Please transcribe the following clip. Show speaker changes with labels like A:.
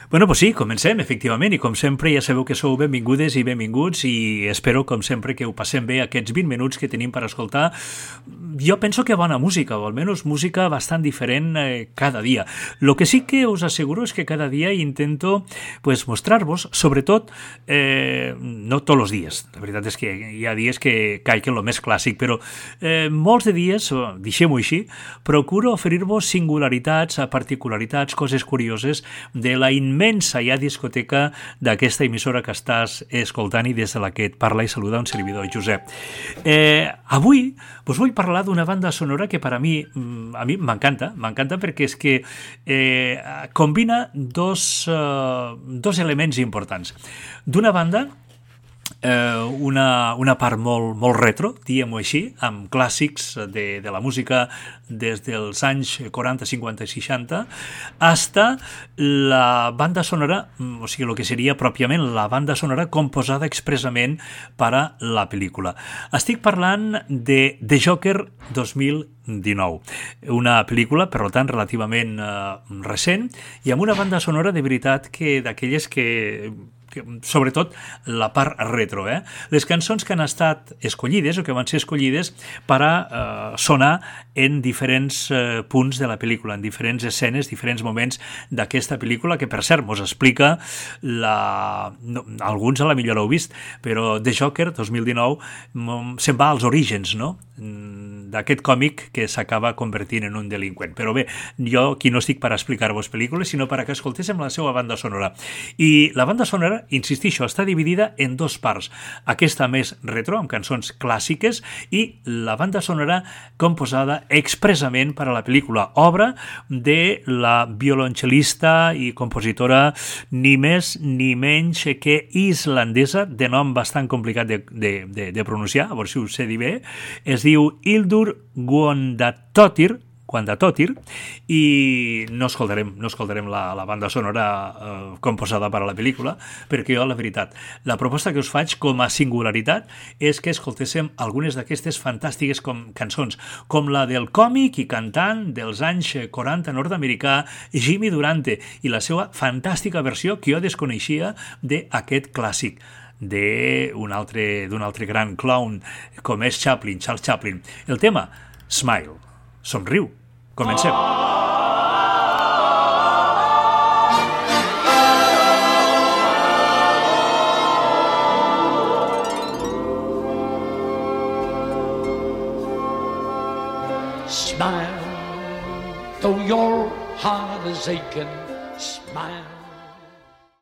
A: Bueno, pues sí, comencem, efectivament, i com sempre ja sabeu que sou benvingudes i benvinguts i espero, com sempre, que ho passem bé aquests 20 minuts que tenim per escoltar. Jo penso que bona música, o almenys música bastant diferent cada dia. Lo que sí que us asseguro és que cada dia intento pues, mostrar-vos, sobretot, no tots els dies, la veritat és que hi ha dies que caic en lo més clàssic, però molts de dies, deixem-ho així, procuro oferir-vos singularitats, particularitats, coses curioses de la immensa ja discoteca d'aquesta emissora que estàs escoltant i des de la que et parla i saluda un servidor, Josep. Avui us vull parlar d'una banda sonora que per a mi m'encanta perquè és que combina dos elements importants. D'una banda, una part molt retro, diguem-ho així, amb clàssics de la música des dels anys 40, 50 i 60, hasta la banda sonora, o sigui, el que seria pròpiament la banda sonora composada expressament per a la pel·lícula. Estic parlant de The Joker 2019, una pel·lícula, per tant, relativament recent, i amb una banda sonora de veritat que d'aquelles que sobretot la part retro. Les cançons que han estat escollides o que van ser escollides per a sonar en diferents punts de la pel·lícula, en diferents escenes, diferents moments d'aquesta pel·lícula, que per cert mos explica alguns a la millor heu vist, però The Joker 2019 se'n va als orígens, no?, d'aquest còmic que s'acaba convertint en un delinqüent. Però bé, jo aquí no estic per explicar-vos pel·lícules, sinó per a que escoltéssem la seva banda sonora. I la banda sonora, insistixo, està dividida en dos parts. Aquesta més retro, amb cançons clàssiques, i la banda sonora composada expressament per a la pel·lícula, obra de la violoncel·lista i compositora ni més ni menys que islandesa, de nom bastant complicat de pronunciar, a veure si ho sé dir bé. Es diu Hildur Guðnadóttir, i no escoltarem la banda sonora composada per a la pel·lícula, perquè jo, la veritat, la proposta que us faig com a singularitat és que escoltéssim algunes d'aquestes fantàstiques cançons, com la del còmic i cantant dels anys 40 nord-americà Jimmy Durante, i la seva fantàstica versió que jo desconeixia d'aquest clàssic d'un altre gran clown com és Charles Chaplin. El tema, Smile, somriu. Comencem.
B: Smile, though your heart is aching. Smile,